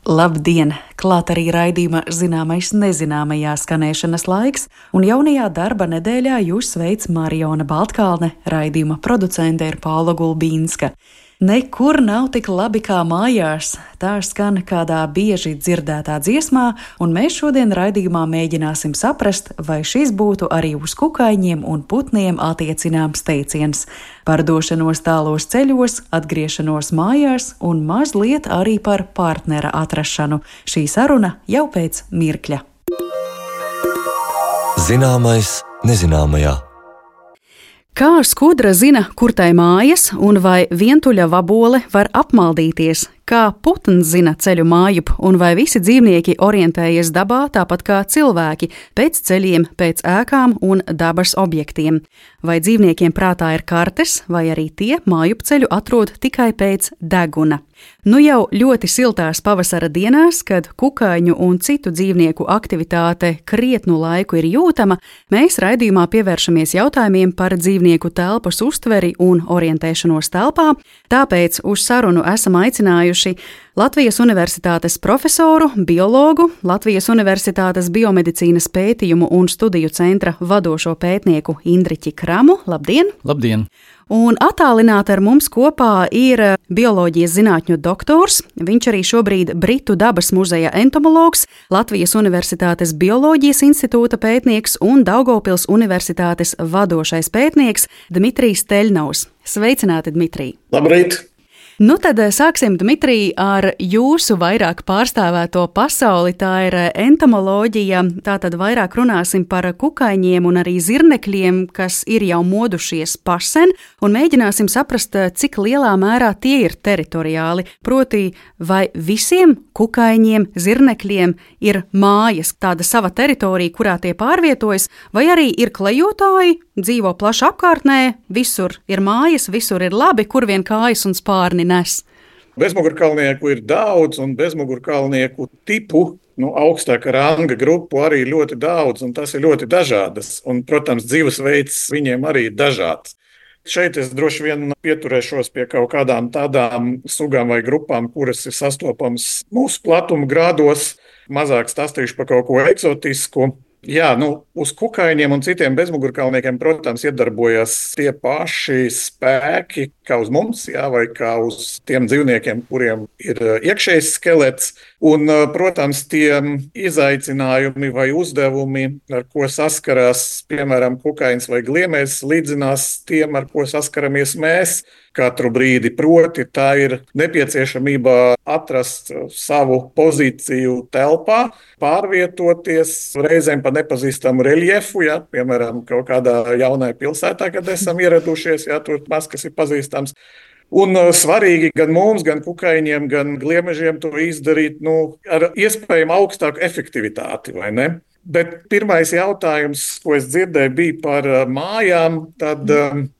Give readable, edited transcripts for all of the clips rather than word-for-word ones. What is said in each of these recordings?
Labdien! Klāt arī raidījuma zināmais nezināmajā skanēšanas laiks, un jaunajā darba nedēļā jūs sveic Mariona Baltkalne, raidījuma producente ir Paula Gulbīnska. Nekur nav tik labi kā mājās, tā skan kādā bieži dzirdētā dziesmā, un mēs šodien raidījumā mēģināsim saprast, vai šis būtu arī uz kukaiņiem un putniem attiecināms teiciens. Par došanos tālos ceļos, atgriešanos mājās un mazliet arī par partnera atrašanu. Šī saruna jau pēc mirkļa. Zināmais nezināmajā. Kā skudra zina, kur tai mājas, un vai vientuļa vabole var apmaldīties? Kā putns zina ceļu mājup, un vai visi dzīvnieki orientējas dabā tāpat kā cilvēki, pēc ceļiem, pēc ēkām un dabas objektiem? Vai dzīvniekiem prātā ir kartes, vai arī tie mājup ceļu atrod tikai pēc deguna? Nu jau ļoti siltās pavasara dienās, kad kukaiņu un citu dzīvnieku aktivitāte krietnu laiku ir jūtama, mēs raidījumā pievēršamies jautājumiem par dzīvnieku telpas uztveri un orientēšanos telpā, tāpēc uz sarunu esam aicinājuši Latvijas Universitātes profesoru, biologu, Latvijas Universitātes biomedicīnas pētījumu un studiju centra vadošo pētnieku Indriķi Kramu. Labdien! Labdien! Un attālināti ar mums kopā ir bioloģijas zinātņu doktors, viņš arī šobrīd Britu dabas muzeja entomologs, Latvijas Universitātes bioloģijas institūta pētnieks un Daugavpils Universitātes vadošais pētnieks Dmitrijs Teļnaus. Sveicināti, Dmitrij! Labrīt! Nu tad sāksim, Dmitrij, ar jūsu vairāk pārstāvēto pasauli, tā ir entomoloģija, tātad vairāk runāsim par kukaiņiem un arī zirnekļiem, kas ir jau modušies pasen, un mēģināsim saprast, cik lielā mērā tie ir teritoriāli, proti vai visiem kukaiņiem, zirnekļiem ir mājas, tāda sava teritorija, kurā tie pārvietojas, vai arī ir klejotāji, dzīvo plaši apkārtnē, visur ir mājas, visur ir labi, kur vien kājas un spārni nes. Bezmugurkalnieku ir daudz, un bezmugurkalnieku tipu, augstāka ranga grupu arī ļoti daudz, un tas ir ļoti dažādas. Un, protams, dzīvesveids viņiem arī ir dažāds. Šeit es droši vien pieturēšos pie kaut kādām tādām sugām vai grupām, kuras ir sastopamas mūsu platuma grādos, mazāk stāstīšu par kaut ko eksotisku. Jā, uz kukaiņiem un citiem bezmugurkalniekiem, protams, iedarbojas tie paši spēki, kā uz mums, vai kā uz tiem dzīvniekiem, kuriem ir iekšējs skelets. Un, protams, tie izaicinājumi vai uzdevumi, ar ko saskarās, piemēram, kukaiņas vai gliemēs, līdzinās tiem, ar ko saskaramies mēs katru brīdi. Proti, tā ir nepieciešamība atrast savu pozīciju telpā, pārvietoties reizēm pa nepazīstamu reljefu, piemēram, kaut kādā jaunā pilsētā, kad esam ieradušies, tur maz kas ir pazīstams. Un svarīgi gan mums, gan kukaiņiem, gan gliemežiem to izdarīt ar iespējami augstāku efektivitāti, vai ne? Bet pirmais jautājums, ko es dzirdēju, bija par mājām. Tad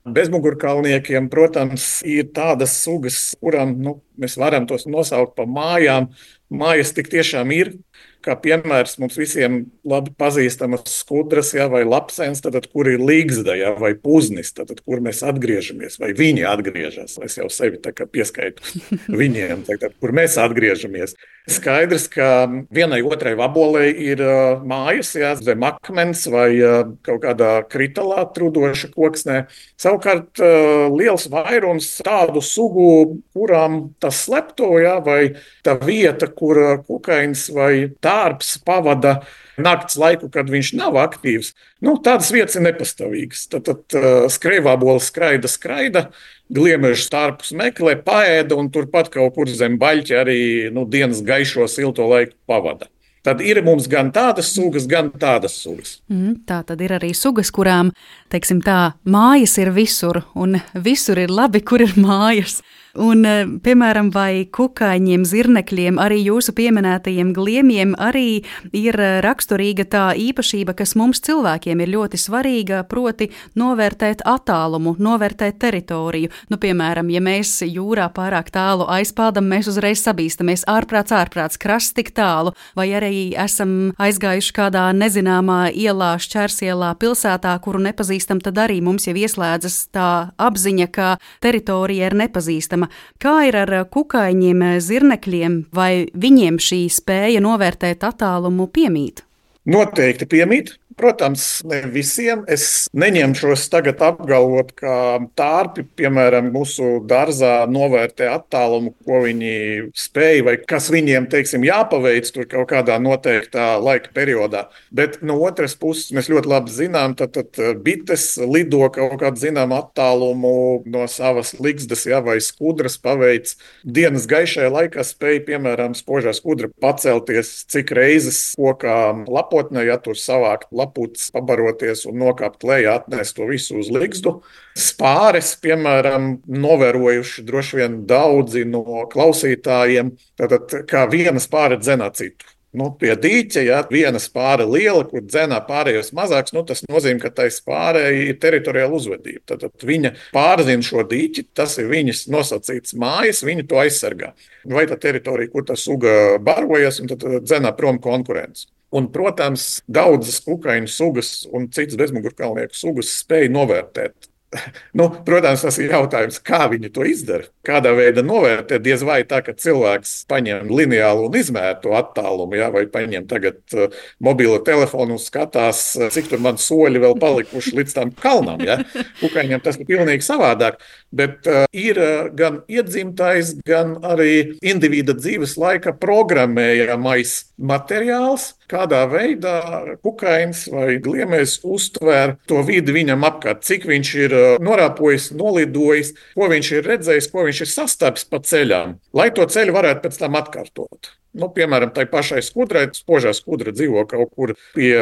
bezmugurkalniekiem, protams, ir tādas sugas, kurām mēs varam tos nosaukt par mājām. Mājas tik tiešām ir. Kā piemērs mums visiem labi pazīstamas skudras, vai lapsens, kur ir līgzda, vai puznis, kur mēs atgriežamies, vai viņi atgriežas. Es jau sevi tā kā pieskaitu viņiem, kur mēs atgriežamies. Skaidrs, ka vienai otrai vabolei ir mājas, zem akmens vai kaut kādā kritalā trudoša koksnē. Savukārt liels vairums tādu sugu, kurām tas slepto, vai tā vieta, kur kukaiņs vai tārps pavada nakts laiku, kad viņš nav aktīvs, tādas vietas ir nepastāvīgas. Tad skrejvāboles skraida, gliemežu tārpus meklē, paēda un turpat kaut kur zem baļķa arī dienas gaišo silto laiku pavada. Tad ir mums gan tādas sugas, gan tādas sugas. Tā tad ir arī sugas, kurām, teiksim tā, mājas ir visur, un visur ir labi, kur ir mājas. Un, piemēram, vai kukaiņiem, zirnekļiem, arī jūsu pieminētajiem gliemiem arī ir raksturīga tā īpašība, kas mums cilvēkiem ir ļoti svarīga, proti novērtēt attālumu, novērtēt teritoriju. Piemēram, ja mēs jūrā pārāk tālu aizpildam, mēs uzreiz sabīstamies ārprāts, krasts tik tālu, vai arī esam aizgājuši kādā nezināmā ielā, šķērsielā, pilsētā, kuru nepazīstam, tad arī mums jau ieslēdzas tā apziņa, ka teritorija ir nepazīstama. jautājuma. Kā ir ar kukaiņiem, zirnekļiem, vai viņiem šī spēja novērtēt attālumu piemīt? Noteikti piemīt. Protams, ne visiem. Es neņemšos tagad apgalvot, ka tārpi, piemēram, mūsu dārzā novērtē attālumu, ko viņi spēj vai kas viņiem, teiksim, jāpaveic tur kaut kādā noteiktā laika periodā. Bet no otras puses mēs ļoti labi zinām, tad bites lido kaut kādu zināmu attālumu no savas ligzdas, vai skudras paveic. Dienas gaišajā laikā spēj, piemēram, spožā skudra pacelties cik reizes kokā lapotnē, ja tur savākt laputes, pabaroties un nokāpt lejā, atnest to visu uz ligzdu. Spāres, piemēram, novērojuši droši vien daudzi no klausītājiem, tātad kā viena spāre dzenā citu. Pie dīķa, ja viena spāre liela, kur dzenā pārējos mazāks, tas nozīmē, ka tai spārei ir teritoriāla uzvedība. Tad viņa pārzina šo dīķi, tas ir viņas nosacīts mājas, viņa to aizsargā. Vai tā teritorija, kur tā suga barojas, un tad dzenā prom konkurence. Un, protams, daudzas kukaiņu sugas un citas bezmugurkaulnieku sugas spēj novērtēt. Protams, tas ir jautājums, kā viņi to izdara. Kādā veidā novērtēt, diez vai tā, ka cilvēks paņem lineālu un izmēra to attālumu, vai paņem tagad mobilo telefonu un skatās, cik tur man soļi vēl palikuši līdz tam kalnam. Kukaiņiem tas ir pilnīgi savādāk, bet ir gan iedzimtais, gan arī individa dzīves laika programmējamais materiāls, kādā veidā kukainis vai gliemējs uztver to vidi viņam apkārt, cik viņš ir norāpojis, nolidojis, ko viņš ir redzējis, ko viņš ir sastapis pa ceļām, lai to ceļu varētu pēc tam atkārtot. Piemēram, tai pašai skudrai, spožā skudra dzīvo kaut kur pie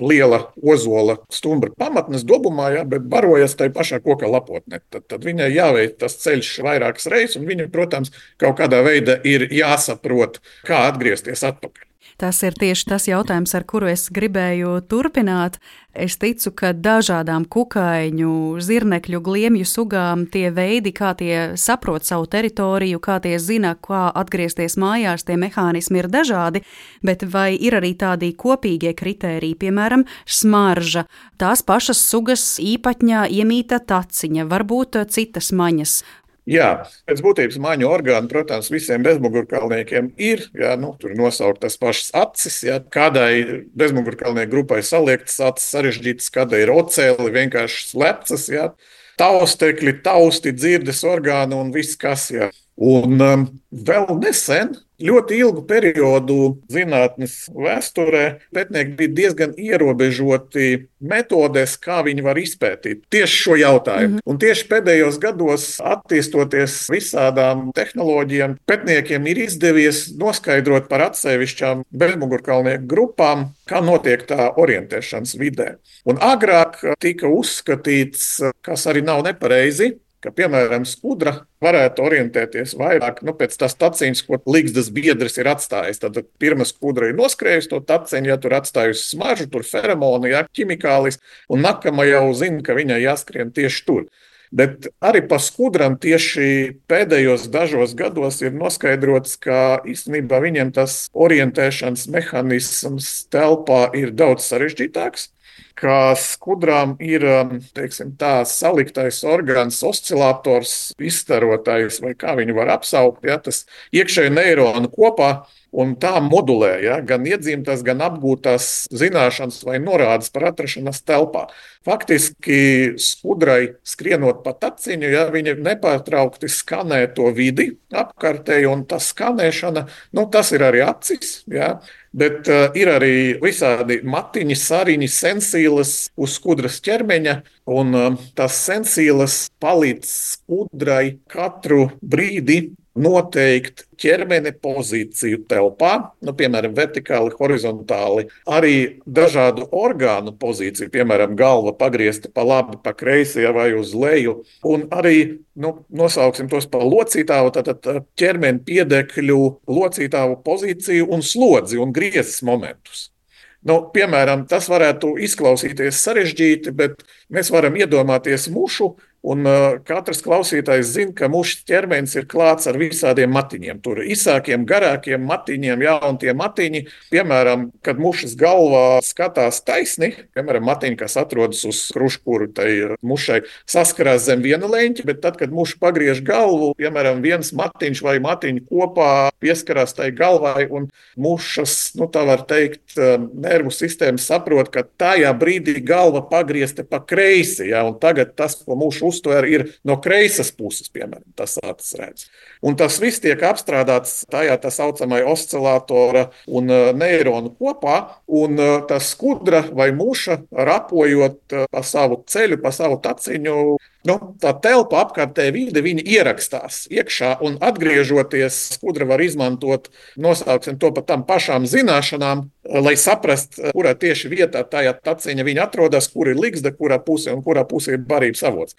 liela ozola stumbra pamatnes dobumā, bet barojas tai pašā koka lapotnē. Tad viņai jāveic tas ceļš vairākas reizes, un viņa, protams, kaut kādā veidā ir jāsaprot, kā atgriezties atpakaļ. Tas ir tieši tas jautājums, ar kuru es gribēju turpināt. Es ticu, ka dažādām kukaiņu, zirnekļu, gliemju sugām tie veidi, kā tie saprot savu teritoriju, kā tie zina, kā atgriezties mājās, tie mehānismi ir dažādi, bet vai ir arī tādi kopīgie kritēriji, piemēram, smarža, tās pašas sugas īpatņā iemīta taciņa, varbūt citas maņas. Jā, pēc būtības maņu orgānu, protams, visiem bezmugurkaulniekiem ir, tur nosaukt tas pašas acis, kādai bezmugurkaulnieku grupai saliektas acis sarežģītas, kādai ir ocēli, vienkārši slepcas, taustekļi, tausti, dzirdes orgāni un viss kas, Un vēl nesen, ļoti ilgu periodu zinātnes vēsturē, pētnieki bija diezgan ierobežoti metodēs, kā viņi var izpētīt tieši šo jautājumu. Un tieši pēdējos gados, attīstoties visādām tehnoloģijām, pētniekiem ir izdevies noskaidrot par atsevišķām bezmugurkaulnieku grupām, kā notiek tā orientēšanas vidē. Un agrāk tika uzskatīts, kas arī nav nepareizi, ka, piemēram, skudra varētu orientēties vairāk pēc tās taciņas, ko ligzdas biedrs ir atstājis. Tad pirmā skudra ir noskrējusi to taciņu, tur atstājusi smaržu, tur feromonu, ķimikālis, un nākamā jau zina, ka viņai jāskrien tieši tur. Bet arī pa skudram tieši pēdējos dažos gados ir noskaidrots, ka īstenībā viņiem tas orientēšanas mehanisms telpā ir daudz sarežģītāks. Ka skudrām ir, teiksim, tā saliktais orgāns, oscilators, izstarotājs, vai kā viņu var apsaukt, tas iekšēji neironu kopā, un tā modulē, gan iedzimtas, gan apgūtās zināšanas vai norādes par atrašanās telpā. Faktiski skudrai skrienot pa taciņu, viņa nepārtraukti skanē to vidi apkārtēji, un tā skanēšana, tas ir arī acis, bet ir arī visādi matiņi, sariņi, sensīlas uz skudras ķermeņa, un tās sensīlas palīdz skudrai katru brīdi noteikt ķermeni pozīciju telpā, piemēram, vertikāli, horizontāli, arī dažādu orgānu pozīciju, piemēram, galva pagriezta pa labi, pa kreisi vai uz leju, un arī, nosauksim tos pa locītāvu, tātad ķermeni piedekļu locītāvu pozīciju un slodzi un griezes momentus. Piemēram, tas varētu izklausīties sarežģīti, bet mēs varam iedomāties mušu, Un katrs klausītājs zina, ka mušas ķermenis ir klāts ar visādiem matiņiem. Tur ir īsākiem, garākiem matiņiem, un tie matiņi, piemēram, kad mušas galvā skatās taisni, piemēram, matiņi, kas atrodas uz kruškuru, tai mušai saskarās zem viena leņķa, bet tad, kad muša pagriež galvu, piemēram, viens matiņš vai matiņi kopā pieskarās tai galvai, un mušas, tā var teikt, nervu sistēma saprot, ka tajā brīdī galva pagriezta pa kreisi, un tagad tas, ko muša uztver, ir no kreisas puses, piemēram, tas acis redz. Un tas viss tiek apstrādāts tajā tā saucamai oscilatora un neironu kopā, un tas skudra vai muša rapojot pa savu ceļu, pa savu taciņu, tā telpa apkārtēji vide, viņa ierakstās iekšā, un atgriežoties, skudra var izmantot, nosauksim to par tām pašām zināšanām, lai saprast, kurā tieši vietā tajā taciņa viņa atrodas, kur ir ligzda, kurā pusē un kurā pusē ir barības avots.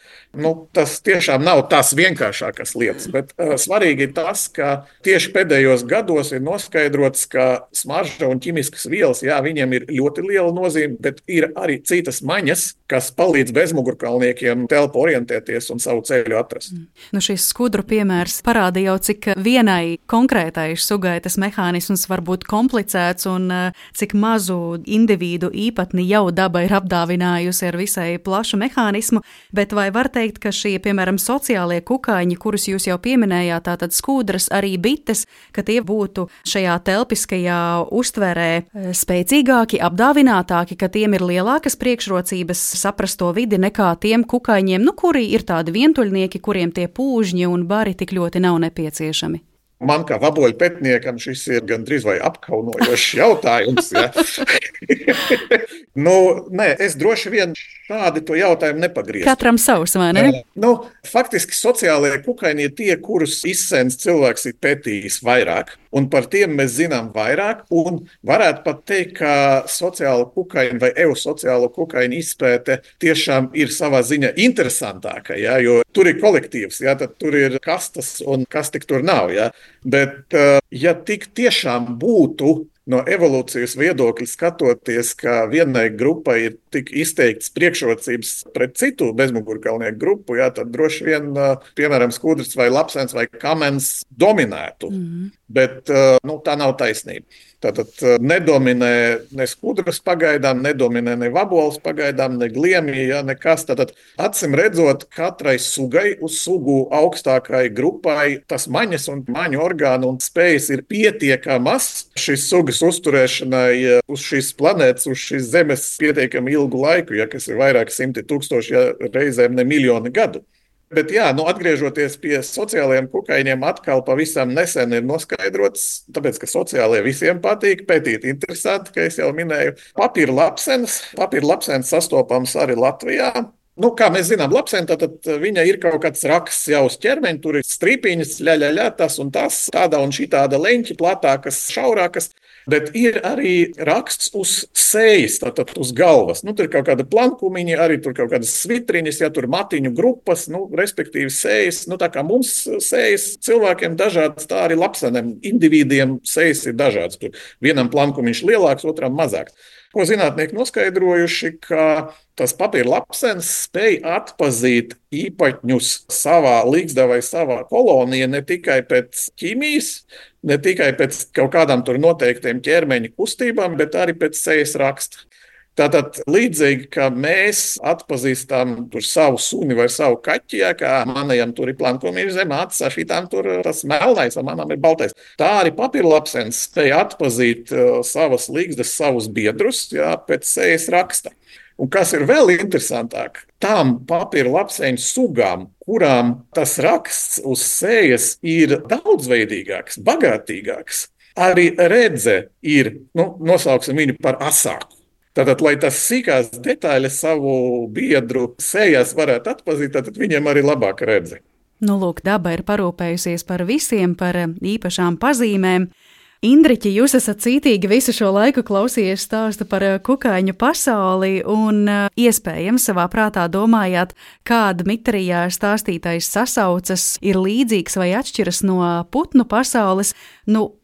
Tas tiešām nav tās vienkāršākās lietas, bet svarīgi ir tas, ka tieši pēdējos gados ir noskaidrots, ka smarža un ķimiskas vielas, viņiem ir ļoti liela nozīme, bet ir arī citas maņas, kas palīdz bezmugurkalniekiem telpu orientēties un savu ceļu atrast. Šis skudru piemērs parāda jau, cik vienai konkrētai sugai tas mehānisms var būt komplicēts un cik mazu individu īpatni jau daba ir apdāvinājusi ar visai plašu mehānismu, bet vai var teikt, ka šie, piemēram, sociālie kukaiņi, kurus jūs jau pieminējāt, tātad skudras, arī bites, ka tie būtu šajā telpiskajā uztverē spēcīgāki, apdāvinātāki, ka tiem ir lielākas priekšrocības saprast to vidi nekā tiem kukaiņiem, kuri ir tādi vientuļnieki, kuriem tie pūžņi un bari tik ļoti nav nepieciešami? Man kā vaboļu pētniekam šis ir gandrīz vai apkaunojošs jautājums. Nē, es droši vien šādi to jautājumu nepagrieztu. Katram savs, vai ne? Faktiski sociālie kukaiņi ir tie, kurus izsens cilvēks ir pētījis vairāk, un par tiem mēs zinām vairāk, un varētu pat teikt, ka sociālo kukaiņu vai eusociālo kukaiņu izpēte tiešām ir savā ziņā interesantāka, jo tur ir kolektīvs, tad tur ir kastas un kas tik tur nav, Bet, ja tik tiešām būtu no evolūcijas viedokļa skatoties, ka vienai grupai ir tik izteikts priekšrocības pret citu bezmugurkalnieku grupu, tad droši vien, piemēram, skudrs vai lapsens vai kamens dominētu. Bet tā nav taisnība. Tātad nedominē ne skudras pagaidām, nedominē ne vaboles pagaidām, ne gliemji, nekas. Tātad, acīm redzot, katrai sugai uz sugu augstākai grupai tas maņas un maņu orgānu un spējas ir pietiekamas šīs sugas uzturēšanai uz šīs planētas, uz šīs zemes pietiekami ilgu laiku, kas ir vairāk simti tūkstoši, reizēm ne miljoni gadu. Bet atgriežoties pie sociālajiem kukaiņiem, atkal pavisam nesen ir noskaidrots, tāpēc, ka sociālie visiem patīk, pētīt interesanti, ka es jau minēju, papīra lapsens sastopams arī Latvijā. Kā mēs zinām, lapsēm, tad viņa ir kaut kāds raksts jau uz ķermeņa, tur ir strīpiņas, tas un tas, tāda un šitāda leņķi, platākas, šaurākas, bet ir arī raksts uz sejas, tātad uz galvas. Tur ir kaut kāda plankumiņa, arī tur kaut kādas svitriņas, tur matiņu grupas, respektīvi sejas. Tā kā mums sejas cilvēkiem dažādas, tā arī lapseniem, individiem sejas ir dažādas. Tur vienam plankumiņš lielāks, otram mazāks. Ko zinātnieki noskaidrojuši, ka tas papīra lapsens spēj atpazīt īpaņus savā ligzdā vai savā kolonijā ne tikai pēc ķīmijas, ne tikai pēc kaut kādām tur noteiktiem ķermeņa kustībām, bet arī pēc sejas raksta. Tātad līdzīgi, ka mēs atpazīstam tur savu suni vai savu kaķi, kā manajam tur ir plankumiņš zem acis, šitām tur tas melnais, a manam ir baltais. Tā arī papīrlapsens spēja atpazīt savas ligzdas, savus biedrus, pēc sejas raksta. Un kas ir vēl interesantāk, tām papīrlapseņu sugām, kurām tas raksts uz sejas ir daudzveidīgāks, bagātīgāks, arī redze ir, nosauksim viņu par asāku. Tātad, lai tas sīkās detaļas savu biedru sejās varētu atpazīt, tad viņiem arī labāk redzi. Lūk, daba ir parūpējusies par visiem, par īpašām pazīmēm. Indriķi, jūs esat cītīgi visu šo laiku klausījies stāstu par kukaiņu pasauli un iespējams savā prātā domājāt, kāda Dmitrijā stāstītais sasaucas ir līdzīgs vai atšķiras no putnu pasaules.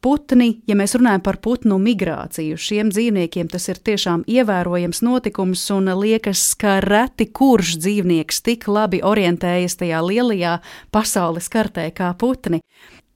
Putni, ja mēs runājam par putnu migrāciju, šiem dzīvniekiem tas ir tiešām ievērojams notikums un liekas, ka reti kurš dzīvnieks tik labi orientējas tajā lielajā pasaules kartē kā putni.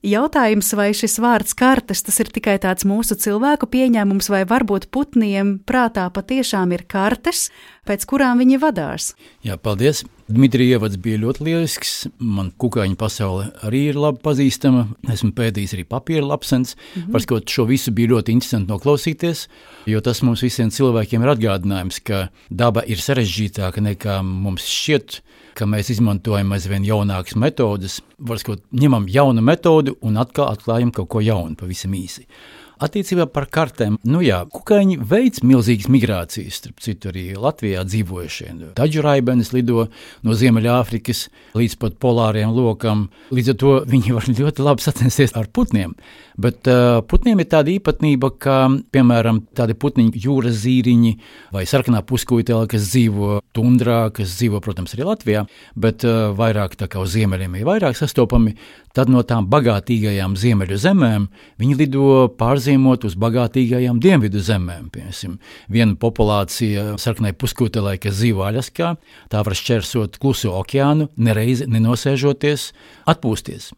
Jautājums, vai šis vārds kartes, tas ir tikai tāds mūsu cilvēku pieņēmums, vai varbūt putniem prātā patiešām ir kartes, pēc kurām viņi vadās? Jā, paldies. Dmitrija ievads bija ļoti lielisks. Man kukaiņu pasaule arī ir labi pazīstama. Esmu pētījis arī papīra lapsens. Varskot, šo visu bija ļoti interesanti noklausīties, jo tas mums visiem cilvēkiem ir atgādinājums, ka daba ir sarežģītāka nekā mums šķiet, ka mēs izmantojam aizvien jaunākas metodes. Varskot, ņemam jaunu metodu un atkal atklājam kaut ko jaunu, pavisam īsi. Attiecībā par kartēm, kukaiņi veic milzīgas migrācijas, starp citu arī Latvijā dzīvojušie. Taģu raibenes lido no Ziemeļāfrikas līdz pat polāriem lokam, līdz ar to viņi var ļoti labi sacensties ar putniem. Bet putniem ir tāda īpatnība, ka, piemēram, tādi putniņi, jūras zīriņi vai sarkanā puskūtele, kas dzīvo tundrā, kas dzīvo, protams, arī Latvijā, bet vairāk tā kā uz ziemeļiem ir vairāk sastopami, tad no tām bagātīgajām ziemeļu zemēm viņi lido pārziemot uz bagātīgajām dienvidu zemēm. Piemēram, viena populācija sarkanai puskūtelei, kas dzīvo Aļaskā, tā var šķērsot Kluso okeānu, nereizi nenosēžoties, atpūsties.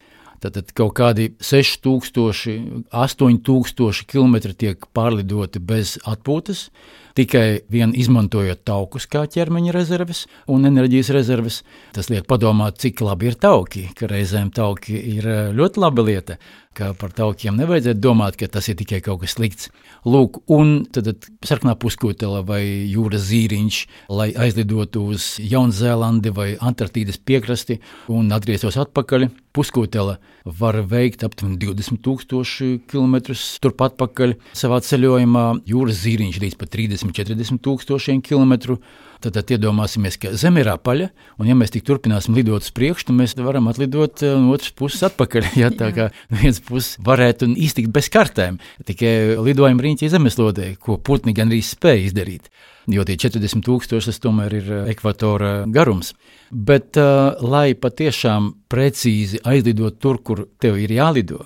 Tātad kaut kādi 6000, 8000 kilometri tiek pārlidoti bez atpūtas, tikai vien izmantojot taukus kā ķermeņa rezerves un enerģijas rezerves. Tas liek padomāt, cik labi ir tauki, ka reizēm tauki ir ļoti laba lieta, ka par taukiem nevajadzētu domāt, ka tas ir tikai kaut kas slikts. Lūk, un tad sarkanā puskūtele vai jūras zīriņš, lai aizlidotu uz Jaunzēlandi vai Antarktīdas piekrasti un atgrieztos atpakaļ, puskūtele var veikt aptuveni 20,000 kilometrus turpat pakaļ savā ceļojumā, jūras zīriņš līdz pat 30,000-40,000 kilometru. Tad iedomāsimies, ka Zeme ir apaļa, un ja mēs tik turpināsim lidot uz priekšu, tad mēs varam atlidot no otras puses atpakaļ. Ja, tā kā viens puses varētu iztikt bez kartēm, tikai lidojuma riņķī zemeslodē, ko putni gan arī spēja izdarīt. Jo tie 40,000 tas tomēr ir ekvatora garums. Bet, lai patiešām precīzi aizlidot tur, kur tev ir jālido,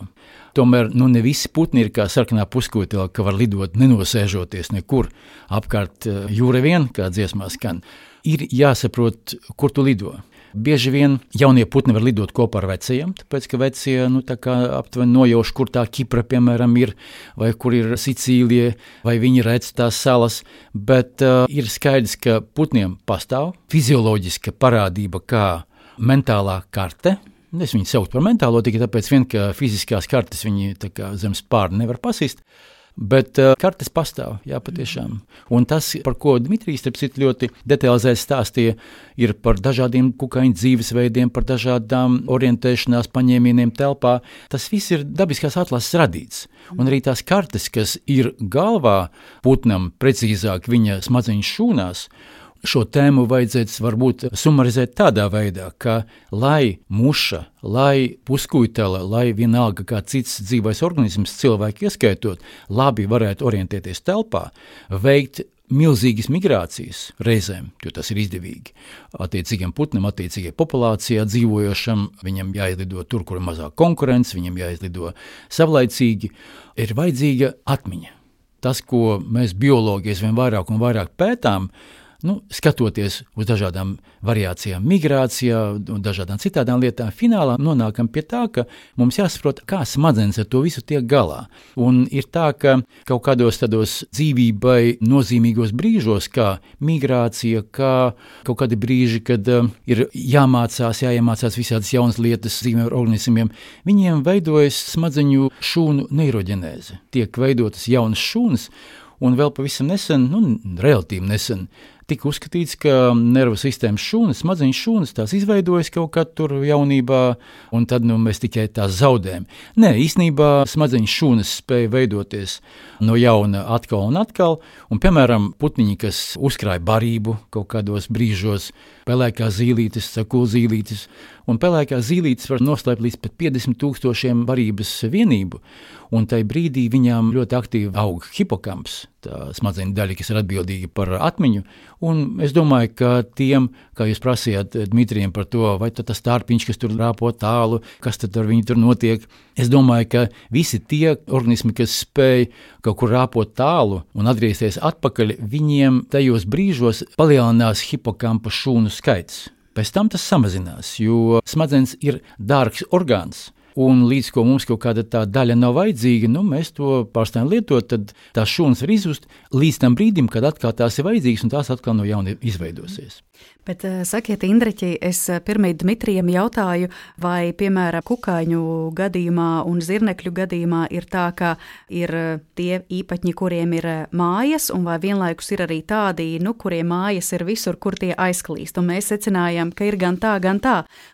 tomēr ne visi putni ir kā sarkanā puskūtele, ka var lidot nenosēžoties nekur apkārt jūra vien, kā dziesmā skan. Ir jāsaprot, kur tu lido. Bieži vien jaunie putni var lidot kopā ar vecajiem, tāpēc, ka vecie tā kā aptuveni nojauš, kur tā Kipra, piemēram, ir, vai kur ir Sicīlija, vai viņi redz tās salas, bet ir skaidrs, ka putniem pastāv fizioloģiska parādība kā mentālā karte. Es viņu saucu par mentālo, tikai tāpēc vien, ka fiziskās kartes viņi tā kā zem spārna nevar pasist, bet kartes pastāv, jā, patiešām. Un tas, par ko Dmitrijs ļoti detalizēti stāstīja, ir par dažādiem kukaiņu dzīvesveidiem, par dažādām orientēšanās paņēmieniem telpā. Tas viss ir dabiskās atlases radīts. Un arī tās kartes, kas ir galvā putnam, precīzāk viņa smadzeņu šūnās, šo tēmu vajadzētu varbūt sumarizēt tādā veidā, ka lai muša, lai puskūtele, lai vienalga kā cits dzīvais organisms, cilvēki ieskaitot, labi varētu orientēties telpā, veikt milzīgas migrācijas reizēm, jo tas ir izdevīgi. Attiecīgiem putnam, attiecīgai populācijā dzīvojošam, viņam jāizlido tur, kur ir mazāk konkurence, viņam jāizlido savlaicīgi, ir vajadzīga atmiņa. Tas, ko mēs biologi vien vairāk un vairāk pētām, skatoties uz dažādām variācijām migrācijā un dažādām citādām lietām, finālā nonākam pie tā, ka mums jāsaprot, kā smadzenes ar to visu tiek galā. Un ir tā, ka kaut kādos tādos dzīvībai nozīmīgos brīžos, kā migrācija, kā kaut kādi brīži, kad ir jāiemācās visādas jaunas lietas dzīviem organismiem, viņiem veidojas smadzeņu šūnu neiroģenēze. Tiek veidotas jaunas šūnas, un vēl pavisam nesen, relatīvi nesen, tika uzskatīts, ka nervu sistēmas šūnas, smadzeņu šūnas, tās izveidojas kaut kad tur jaunībā, un tad mēs tikai tās zaudējam. Nē, īstenībā smadzeņu šūnas spēja veidoties no jauna atkal un atkal, un, piemēram, putniņi, kas uzkrāja barību kaut kādos brīžos, pelēkās zīlītes, sakulzīlītes, un pelēkās zīlītes var noslēpt līdz pat 50,000 varības vienību, un tajā brīdī viņām ļoti aktīvi aug hipokamps, tā smadzeņu daļa, kas ir atbildīga par atmiņu, un es domāju, ka tiem, kā jūs prasījāt Dmitrijam par to, vai tas tārpiņš, kas tur rāpo tālu, kas tad ar viņu tur notiek, es domāju, ka visi tie organismi, kas spēj kaut kur rāpot tālu un atgriezties atpakaļ, viņiem tajos brīžos palielinās hipokampa šūnu skaits. Pēc tam tas samazinās, jo smadzenes ir dārgs orgāns. Un līdz ko mums kaut kāda tā daļa nav vajadzīga, mēs to pārstājam lietot, tad tās šūnas var izzust līdz tam brīdim, kad atkal tās ir vajadzīgas un tās atkal no jauna izveidosies. Bet sakiet, Indreķi, es pirmīt Dmitrijam jautāju, vai, piemēram, kukaiņu gadījumā un zirnekļu gadījumā ir tā, ka ir tie īpaņi, kuriem ir mājas, un vai vienlaikus ir arī tādi, kuriem mājas ir visur, kur tie aizklīst. Un mēs secinājām, ka ir gan tā.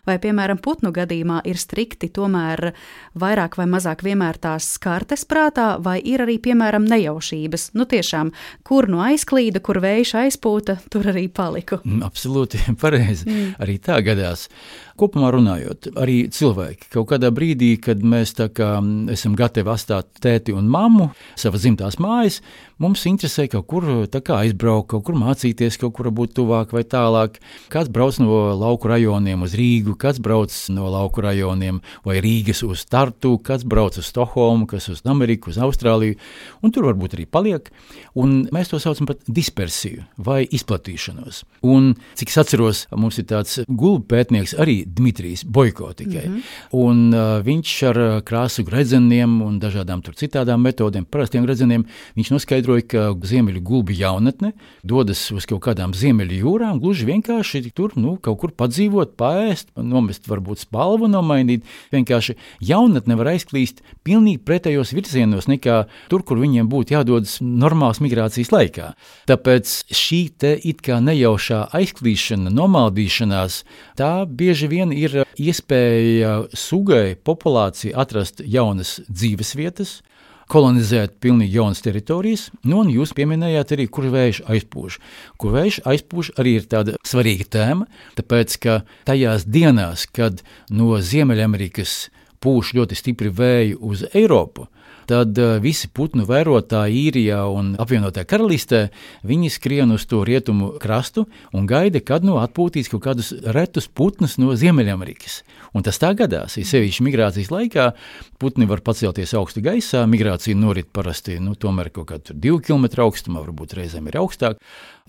Vai, piemēram, putnu gadījumā ir strikti tomēr vairāk vai mazāk vienmēr tās kartes prātā, vai ir arī, piemēram, nejaušības? Tiešām, kur aizklīda, kur vējš aizpūta, tur arī paliku. Absolūti pareizi. Arī tā gadās. Kopumā runājot, arī cilvēki kaut kādā brīdī, kad mēs tā kā esam gatavi atstāt tēti un mammu savas dzimtās mājas, mums interesē kaut kur tā kā aizbraukt, kaut kur mācīties, kaut kur būt tuvāk vai tālāk. Kāds brauc no lauku rajoniem uz Rīgu, kāds brauc no lauku rajoniem vai Rīgas uz Tartu, kāds brauc uz Stokholmu, kas uz Ameriku, uz Austrāliju, un tur varbūt arī paliek. Un mēs to saucam par dispersiju vai izplatīšanos. Un, cik es atceros, mums ir tāds gulbu pētnieks arī Dmitrijs Boiko tikai. Un viņš ar krāsu gredzeniem un dažādām tur citādām metodēm, parastiem gredzeniem, viņš noskaidroja, ka ziemeļu gulbi jaunatne dodas uz kaut kādām ziemeļu jūrām, gluži vienkārši tur kaut kur padzīvot, paēst, nomest varbūt spalvu nomainīt. Vienkārši jaunatne var aizklīst pilnīgi pretējos virzienos nekā tur, kur viņiem būtu jādodas normāls migrācijas laikā. Tāpēc šī te it kā nejaušā aizklīšana, nomaldīšanās, tā bieži vien ir iespēja sugai, populācija atrast jaunas dzīves vietas, kolonizēt pilnīgi jaunas teritorijas, un jūs pieminējāt arī, kur vējš aizpūš. Kur vējš aizpūš arī ir tāda svarīga tēma, tāpēc, ka tajās dienās, kad no Ziemeļamerikas pūš ļoti stipri vēji uz Eiropu, tad visi putnu vērotāji Īrijā un apvienotajā karalistē, viņi skrien uz to rietumu krastu un gaida, kad atpūtīs kaut kādus retus putnus no Ziemeļamerikas. Un tas tā gadās, ir sevišķi migrācijas laikā, putni var pacelties augstu gaisā, migrācija norit parasti, tomēr kaut kādu 2 km augstumā, varbūt reizēm ir augstāk,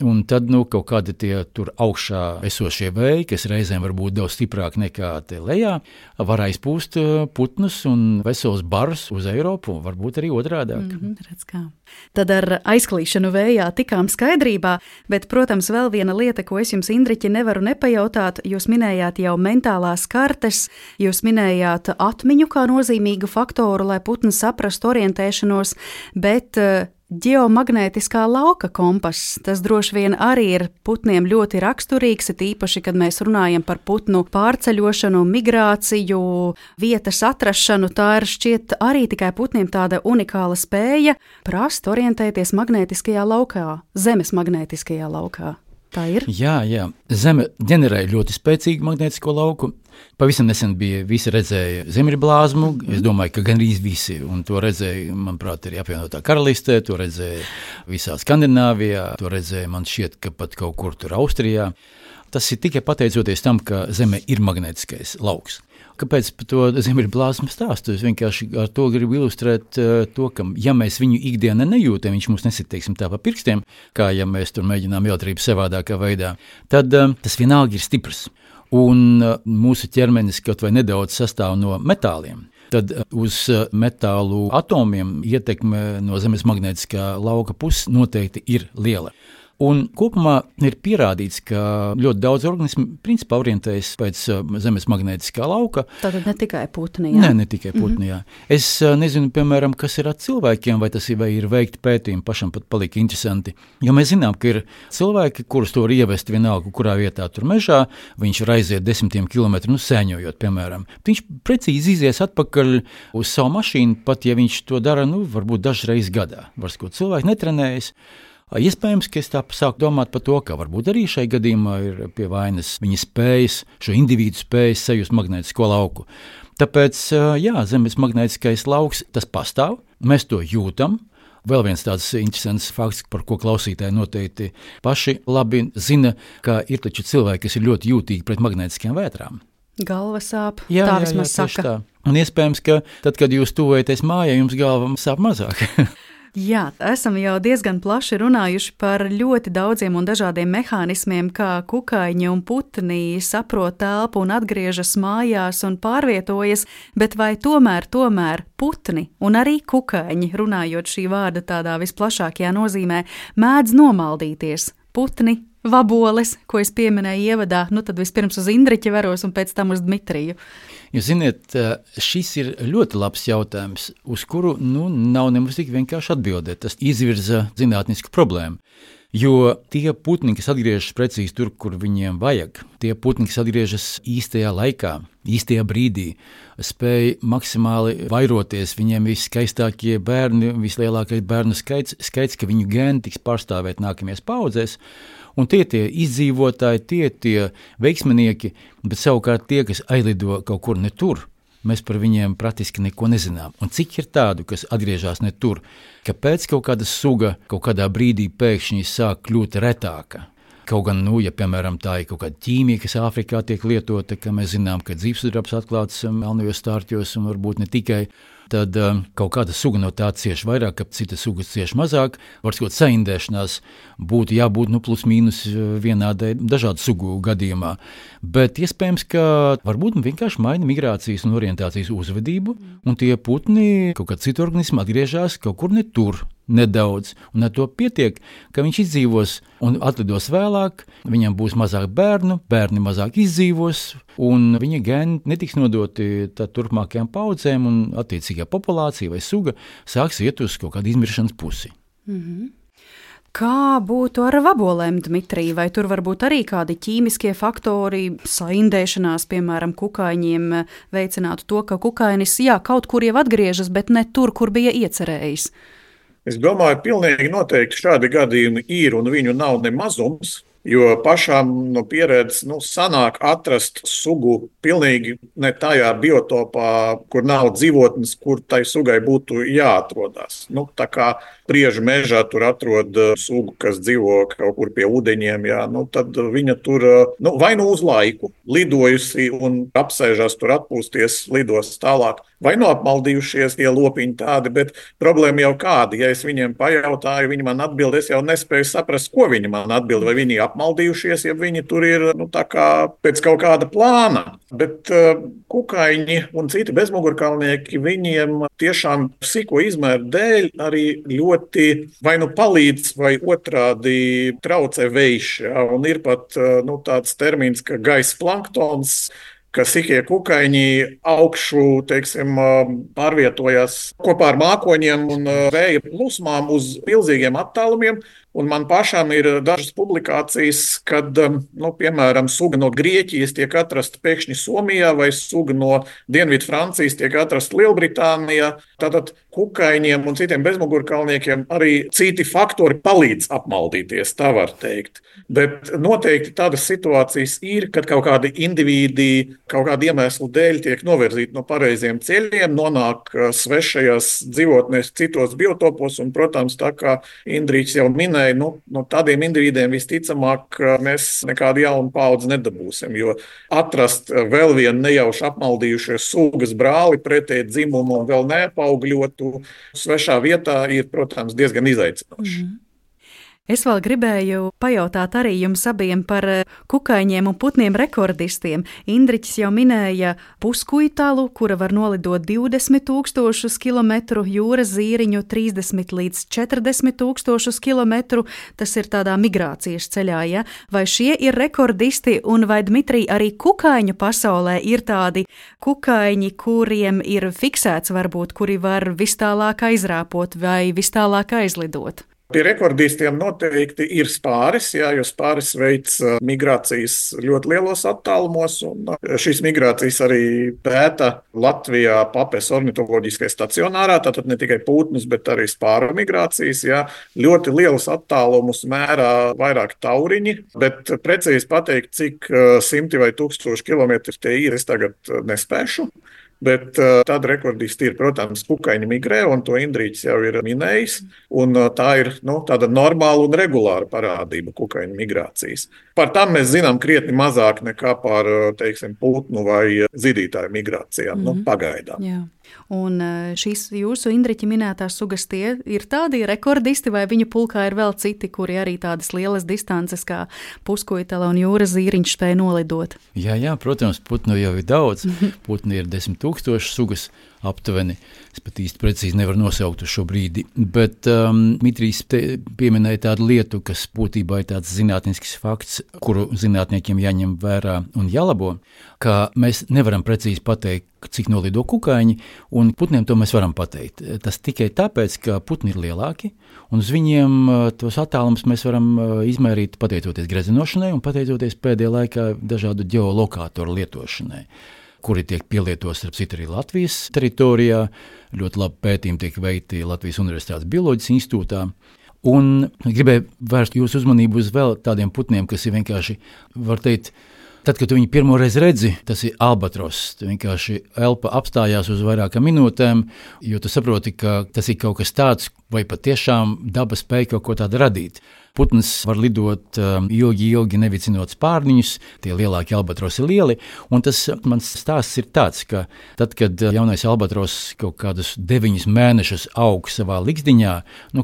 un tad, kaut kādi tie tur augšā esošie vēji, kas reizēm var būt daudz stiprāk nekā te lejā, var aizpūst putnus un vesels bars uz Eiropu, varbūt arī otrādāk. Redz kā. Tad ar aizklīšanu vējā tikām skaidrībā, bet, protams, vēl viena lieta, ko es jums, Indriķi, nevaru nepajautāt, jūs minējāt jau mentālās kartes, jūs minējāt atmiņu kā nozīmīgu faktoru, lai putni saprastu orientēšanos, bet ģeomagnētiskā lauka kompass, tas droši vien arī ir putniem ļoti raksturīgs, it īpaši, kad mēs runājam par putnu pārceļošanu, migrāciju, vietas atrašanu, tā ir šķiet arī tikai putniem tāda unikāla spēja prast orientēties magnētiskajā laukā, Zemes magnētiskajā laukā. Tā ir? Jā. Zeme ģenerē ļoti spēcīgu magnētisko lauku. Pavisam nesen visi redzēja Ziemeļblāzmu. Es domāju, ka gandrīz visi, un to redzēja, manuprāt, arī apvienotā karalistē, to redzēja visā Skandināvijā, to redzēja, man šķiet, ka pat kaut kur tur Austrijā. Tas ir tikai pateicoties tam, ka Zeme ir magnētiskais lauks. Kāpēc par to Ziemeļblāzmu stāstu? Es vienkārši ar to gribu ilustrēt to, ka, ja mēs viņu ikdienā nejūtam, viņš mums nesit, tā pa pirkstiem, kā ja mēs tur mēģinām jautrību savādākā veidā, tad tas vienalga ir stiprs. Un mūsu ķermenis kaut vai nedaudz sastāv no metāliem. Tad uz metālu atomiem ietekme no Zemes magnētiskā lauka puses noteikti ir liela. Un kopumā ir pierādīts, ka ļoti daudz organismu principā orientējas pēc Zemes magnētiskā lauka. Tātad ne tikai putni, jā? Ne tikai putni, jā. Es nezinu, piemēram, kas ir ar cilvēkiem, vai tas ir veikti pētījumi, pašam pat palika interesanti. Jo mēs zinām, ka ir cilvēki, kurus to var ievest vienalga, kurā vietā tur mežā, viņš var aiziet 10 kilometru, sēņojot, piemēram. Viņš precīzi izies atpakaļ uz savu mašīnu, pat ja viņš to dara, varbūt dažreiz gadā. Varbūt cilvēki netrenējas. Iespējams, ka es tā sāku domāt par to, ka varbūt arī šai gadījumā ir pie vainas viņa spējas, šo individu spējas sajust magnētisko lauku. Tāpēc, jā, Zemes magnētiskais lauks, tas pastāv, mēs to jūtam. Vēl viens tāds interesants fakts, par ko klausītāji noteikti paši labi zina, ka ir taču cilvēki, kas ir ļoti jūtīgi pret magnētiskajām vētrām. Galva sāp, tā vismaz saka. Tā. Un iespējams, ka tad, kad jūs tuvojaties mājai, jums galva sāp mazāk. Jā, esam jau diezgan plaši runājuši par ļoti daudziem un dažādiem mehānismiem, kā kukaiņi un putni saprot telpu un atgriežas mājās un pārvietojas, bet vai tomēr putni un arī kukaiņi, runājot šī vārda tādā visplašākajā nozīmē, mēdz nomaldīties? Putni, vaboles, ko es pieminēju ievadā, tad vispirms uz Indriķi veros un pēc tam uz Dmitriju. Jūs ziniet, šis ir ļoti labs jautājums, uz kuru nav nemaz tik vienkārši atbildēt. Tas izvirza zinātnisku problēmu. Jo tie putni, kas atgriežas precīzi tur, kur viņiem vajag, tie putni, kas atgriežas īstajā laikā, īstajā brīdī, spēj maksimāli vairoties, viņiem viskaistākie bērni, vislielākais bērnu skaits, ka viņu gēni tiks pārstāvēt nākamajās paudzēs. Un tie izdzīvotāji, tie veiksminieki, bet savukārt tie, kas aizlido kaut kur ne tur, mēs par viņiem praktiski neko nezinām. Un cik ir tādu, kas atgriežas ne tur, kāpēc kaut kāda suga kaut kādā brīdī pēkšņi sāk kļūt retāka? Kaut gan, ja piemēram tā ir kaut kāda ķīmija, kas Āfrikā tiek lietota, ka mēs zinām, ka dzīvsudrabs atklāts melnajos stārķos un varbūt ne tikai, tad kaut kāda suga no tā cieš vairāk, ka cita suga cieš mazāk. Varbūt saindēšanās būtu jābūt plus mīnus vienādai dažādu sugu gadījumā. Bet iespējams, ka varbūt vienkārši maina migrācijas un orientācijas uzvedību, un tie putni kaut kādā citu organismu atgriežas kaut kur ne tur. Nedaudz, un ar to pietiek, ka viņš izdzīvos un atlidos vēlāk, viņam būs mazāk bērnu, bērni mazāk izdzīvos, un viņa gēni netiks nodoti turpmākajām paudzēm, un attiecīgā populācija vai suga sāks iet uz kaut kādu izmiršanas pusi. Mhm. Kā būtu ar vabolēm, Dmitrij? Vai tur varbūt arī kādi ķīmiskie faktori, saindēšanās, piemēram, kukaiņiem veicinātu to, ka kukainis, kaut kur jau atgriežas, bet ne tur, kur bija iecerējis? Es domāju, pilnīgi noteikti šādi gadījumi ir, un viņu nav ne mazums, jo pašām no pieredzes sanāk atrast sugu pilnīgi ne tajā biotopā, kur nav dzīvotnes, kur tai sugai būtu jāatrodas. Tā kā Priežu mežā tur atrod sugu, kas dzīvo kaut kur pie ūdeņiem, tad viņa tur vai uz laiku lidojusi un apsēžās tur atpūsties, lidos tālāk. Vai apmaldījušies tie lopiņi tādi, bet problēma jau kāda. Ja es viņiem pajautāju, viņi man atbild, es jau nespēju saprast, ko viņi man atbild. Vai viņi apmaldījušies, ja viņi tur ir tā kā pēc kaut kāda plāna. Bet kukaiņi un citi bezmugurkalnieki, viņiem tiešām sīko izmēru dēļ arī ļoti vai palīdz, vai otrādi traucē vējš. Un ir pat tāds termins, ka gaisa planktons, ka sīkie kukaiņi augšu, pārvietojās kopā ar mākoņiem un vēja plūsmām uz milzīgiem attālumiem. Un man pašam ir dažas publikācijas, kad, piemēram, suga no Grieķijas tiek atrasta pēkšņi Somijā vai suga no Dienvidu Francijas tiek atrasta Lielbritānijā. Tātad kukaiņiem un citiem bezmugurkalniekiem arī citi faktori palīdz apmaldīties, tā var teikt. Bet noteikti tādas situācijas ir, kad kaut kādi indivīdi kaut kādu iemeslu dēļ tiek novirzīti no pareiziem ceļiem, nonāk svešajās dzīvotnēs citos biotopos, un, protams, tā kā Indriķis jau minēja, no tādiem individiem visticamāk mēs nekādu jaunu paudzi nedabūsim, jo atrast vēl vienu nejauši apmaldījušies sugas brāli pretēji dzimumu un vēl neapaugļotu svešā vietā ir, protams, diezgan izaicinoši. Es vēl gribēju pajautāt arī jums abiem par kukaiņiem un putniem rekordistiem. Indriķis jau minēja puskuitalu, kura var nolidot 20,000 kilometru, jūras zīriņu 30 līdz 40,000 kilometru. Tas ir tādā migrācijas ceļā, ja? Vai šie ir rekordisti un vai, Dmitrij, arī kukaiņu pasaulē ir tādi kukaiņi, kuriem ir fiksēts varbūt, kuri var vis tālāk aizrāpot vai vis tālāk aizlidot? Pie rekordistiem noteikti ir spāris, jā, jo spāris veic migrācijas ļoti lielos attālumos. Šīs migrācijas arī pēta Latvijā Papes ornitoloģiskajā stacionārā, tātad ne tikai putnus, bet arī spāru migrācijas. Jā. Ļoti lielus attālumus mērā vairāk tauriņi, bet precīzi pateikt, cik simti vai tūkstoši kilometri tie ir, es tagad nespēšu. Bet tāda rekordisti ir, protams, kukaiņi migrē, un to Indrītis jau ir minējis. Tā ir tāda normāla un regulāra parādība kukaiņu migrācijas. Par tām mēs zinām krietni mazāk nekā par, teiksim, putnu vai zidītāju migrācijām, pagaidām. Jā. Un šīs jūsu Indriķa minētās sugas tie ir tādi rekordisti, vai viņu pulkā ir vēl citi, kuri arī tādas lielas distances kā puskojtala un jūras zīriņš spēj nolidot? Jā, protams, putnu jau ir daudz. Putni ir 10 000 sugas aptuveni. Es pat īsti precīzi nevaru nosaukt uz šo brīdi. Bet Mitrijs pieminēja tādu lietu, kas būtībā ir tāds zinātnisks fakts, kuru zinātniekiem jāņem vērā un jālabo, ka mēs nevaram precīzi pateikt, cik nolido kukaiņi, un putniem to mēs varam pateikt. Tas tikai tāpēc, ka putni ir lielāki, un uz viņiem tos attālumus mēs varam izmērīt pateicoties gredzenošanai un pateicoties pēdējā laikā dažādu ģeolokātoru lietošanai, kuri tiek pielietots starp citu arī Latvijas teritorijā. Ļoti labi pētījumi tiek veikti Latvijas Universitātes Bioloģijas institūtā. Un gribēju vērst jūsu uzmanību uz vēl tādiem putniem, kas ir vienkārši, var teikt, tad, kad tu viņu pirmoreiz redzi, tas ir albatros. Tu vienkārši elpa apstājās uz vairākām minūtēm, jo tu saproti, ka tas ir kaut kas tāds, vai patiešām daba spēja kaut ko tādu radīt. Putns var lidot ilgi nevicinot spārniņus, tie lielākie albatrosi ir lieli, un tas mans stāsts ir tāds, ka tad, kad jaunais albatros kaut kādus 9 mēnešus aug savā ligzdiņā,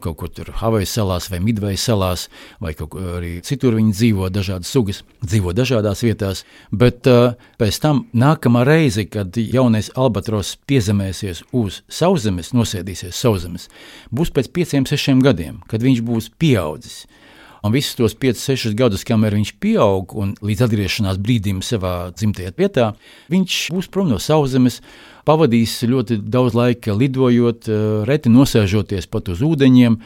kaut kur tur Havajas salās vai Midvejas salās, vai kaut kur arī citur viņi dzīvo, dažādas sugas, dzīvo dažādās vietās, bet pēc tam nākamā reize, kad jaunais albatros piezemēsies uz sauszemes, nosēdīsies sauszemes, būs pēc 5-6 gadiem, kad viņš būs pieaudzis. Un visus tos 5-6 gadus, kamēr viņš pieaug un līdz atgriešanās brīdim savā dzimtajā vietā, viņš būs prom no sauszemes, pavadīs ļoti daudz laika lidojot, reti nosēžoties pat uz ūdeņiem,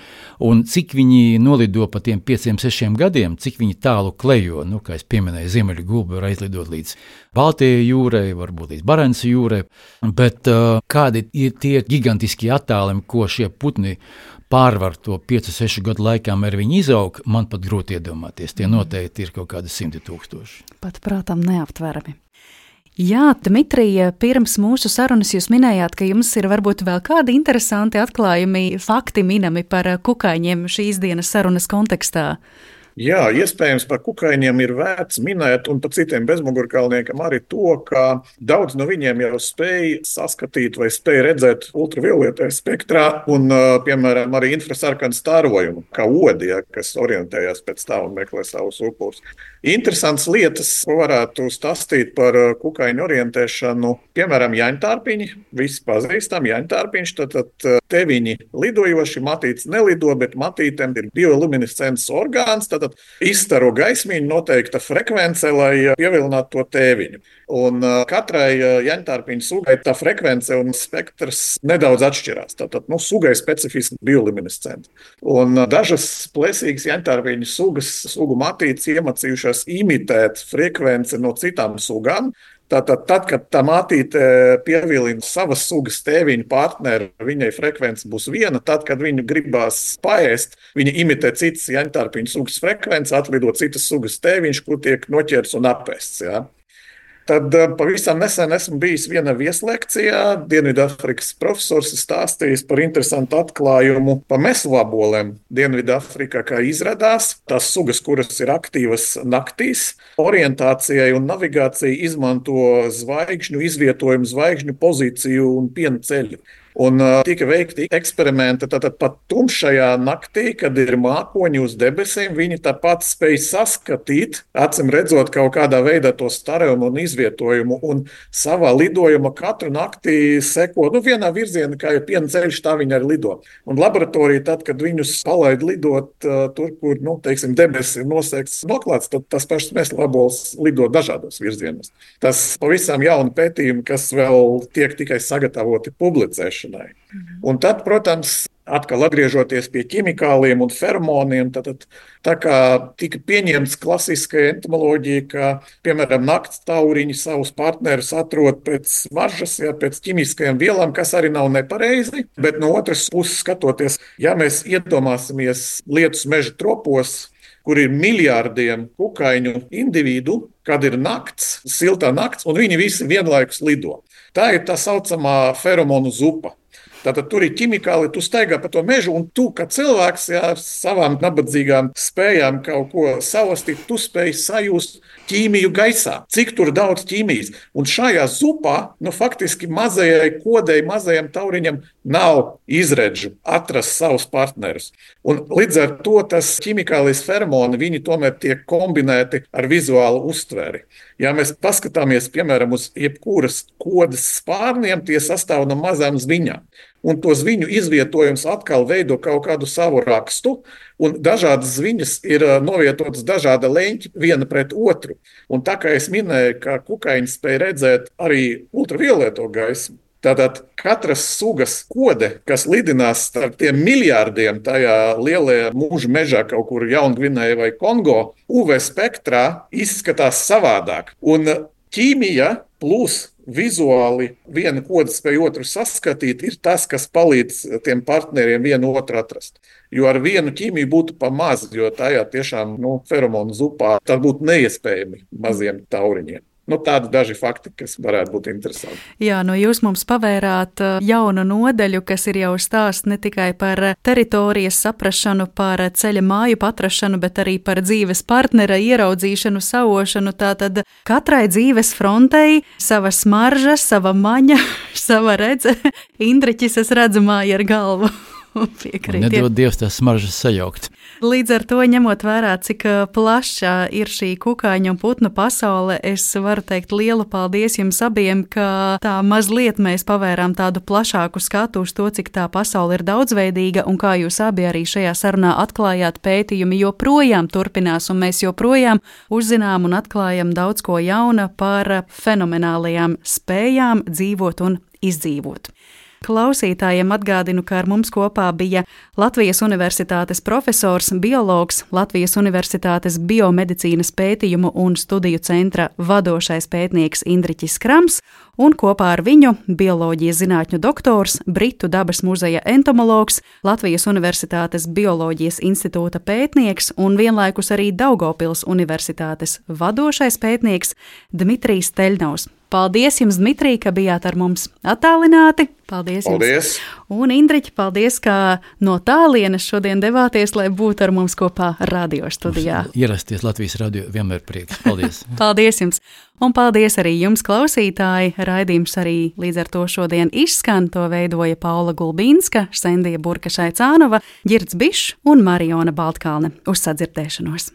un cik viņi nolido pa tiem 5-6 gadiem, cik viņi tālu klejo, kā es pieminēju, Ziemeļu gulbi var aizlidot līdz Baltijai jūrai, varbūt līdz Barenca jūrai, bet kādi ir tie gigantiskie attālumi, ko šie putni pārvar to 5-6 gadu laikā, kamēr viņi izaug, man pat grūti iedomāties. Tie noteikti ir kaut kādi 100 000. Pat prātam neaptverami. Jā, Dmitrija, pirms mūsu sarunas jūs minējāt, ka jums ir varbūt vēl kādi interesanti atklājumi, fakti minami par kukaiņiem šīs dienas sarunas kontekstā. Jā, iespējams, par kukaiņiem ir vērts minēt, un par citiem bezmugurkalniekiem arī to, ka daudz no viņiem jau spēj saskatīt vai spēj redzēt ultravioletē spektrā un, piemēram, arī infrasarkanu starojumu, kā odi, kas orientējās pēc tā un meklē savus upurus. Interesants lietas, ko varētu stāstīt par kukaiņu orientēšanu, piemēram, jaņtārpiņi, visi pazīstam jaņtārpiņš, tad te viņi lidojoši, matītes nelido, bet matītēm ir bioluminescents orgāns, tad izstaro gaismiņu noteikta frekvence, lai pievilinātu to tēviņu. Un katrai jaņtārpiņu sugai tā frekvence un spektrs nedaudz atšķirās. Tātad sugai specifiski bioluminescenti. Un dažas plēsīgas jaņtārpiņu sugu matītes iemācījušās imitēt frekvenci no citām sugām. Tātad, kad tā matīte pievilina savas sugas tēviņu partneri, viņai frekvence būs viena. Tad, kad viņu gribās paēst, viņa imitē citas jaņtārpiņu sugas frekvenci, atlido citas sugas tēviņš, kur tiek noķerts un apēsts. Ja? Tad pavisam nesen esmu bijis vienā vieslekcijā. Dienvidāfrikas profesors stāstījis par interesantu atklājumu par mesvabolēm. Dienvidāfrikā, kā izrādās, tās sugas, kuras ir aktīvas naktīs, orientācijai un navigācijai izmanto zvaigžņu izvietojumu, zvaigžņu pozīciju un piena ceļu. Un tika veikti eksperimenti, tātad pat tumšajā naktī, kad ir mākoņi uz debesīm, viņi tāpat spēj saskatīt, acīm redzot kaut kādā veidā to starojumu un izvietojumu, un savā lidojumā katru naktī seko vienā virzienā, kā jau piena ceļš, tā viņi arī lido. Un laboratorija, tad, kad viņus palaid lidot tur, kur, teiksim, debesis ir nosegts, noklāts, tad tas pašs mesvabols lido dažādos virzienos. Tas pavisam jauni pētījumi, kas vēl tiek tikai sagatavoti publicēšanai. Un tad, protams, atkal atgriežoties pie ķimikāliem un feromoniem, tad tā kā tika pieņemts klasiskā entomoloģija, ka, piemēram, nakts tauriņi savus partnerus atrod pēc smaržas, pēc ķimiskajām vielām, kas arī nav nepareizi, bet no otras puses skatoties, ja mēs iedomāsimies lietus meža tropos, kur ir miljārdiem kukaiņu individu, kad ir nakts, siltā nakts, un viņi visi vienlaikus lido. Tā ir tā saucamā feromonu zupa. Tātad tur ir ķimikāli, tu staigā pa to mežu, un tu, kā cilvēks, savām nabadzīgām spējām kaut ko savastīt, tu spēj sajust ķīmiju gaisā. Cik tur daudz ķīmijas. Un šajā zupā, faktiski mazajai kodei, mazajam tauriņam nav izredžu atrast savus partnerus. Un līdz ar to tas ķimikālais feromoni, viņi tomēr tiek kombinēti ar vizuālu uztveri. Ja mēs paskatāmies, piemēram, uz jebkuras kodas spārniem, tie sastāv no mazām zviņām. Un to zviņu izvietojums atkal veido kaut kādu savu rakstu, un dažādas zviņas ir novietotas dažāda leņķi viena pret otru. Un tā kā es minēju, ka kukaiņi spēj redzēt arī ultravioleto gaismu, tātad katras sugas kode, kas lidinās starp tiem miljārdiem tajā lielajā mūža mežā kaut kur Jaungvinējā vai Kongo, UV spektrā izskatās savādāk. Un ķīmija plus vizuāli viena koda spēj otru saskatīt, ir tas, kas palīdz tiem partneriem vienu otru atrast. Jo ar vienu ķīmiju būtu pa maz, jo tajā tiešām feromonu zupā tā būtu neiespējami maziem tauriņiem. Tādi daži fakti, kas varētu būt interesanti. Jā, jūs mums pavērāt jaunu nodaļu, kas ir jau stāsts ne tikai par teritorijas saprašanu, par ceļa māju atrašanu, bet arī par dzīves partnera ieraudzīšanu, sauošanu. Tātad katrai dzīves frontei sava smarža, sava maņa, sava redze. Indriķis, es redzu māju ar galvu. Nedod Dievs tās smaržas sajaukt. Līdz ar to, ņemot vērā, cik plaša ir šī kukaiņu un putnu pasaule, es varu teikt lielu paldies jums abiem, ka tā mazliet mēs pavērām tādu plašāku skatu uz to, cik tā pasaule ir daudzveidīga, un kā jūs abi arī šajā sarunā atklājāt, pētījumi joprojām turpinās, un mēs joprojām uzzinām un atklājam daudz ko jauna par fenomenālajām spējām dzīvot un izdzīvot. Klausītājiem atgādinu, ka ar mums kopā bija Latvijas Universitātes profesors, biologs, Latvijas Universitātes biomedicīnas pētījumu un studiju centra vadošais pētnieks Indriķis Krams, un kopā ar viņu bioloģijas zinātņu doktors, Britu dabas muzeja entomologs, Latvijas Universitātes bioloģijas institūta pētnieks un vienlaikus arī Daugavpils Universitātes vadošais pētnieks Dmitrijs Teļņovs. Paldies jums, Dmitrij, ka bijāt ar mums attālināti. Paldies jums. Paldies. Un Indriķi, paldies, ka no tālienes šodien devāties, lai būtu ar mums kopā radio studijā. Ierasties Latvijas radio vienmēr prieks. Paldies. Paldies jums. Un paldies arī jums, klausītāji. Raidījums arī līdz ar to šodien izskan. To veidoja Paula Gulbīnska, Sendija Burka-Šaicānova, Ģirds Bišs un Mariona Baltkalne. Uz sadzirdēšanos.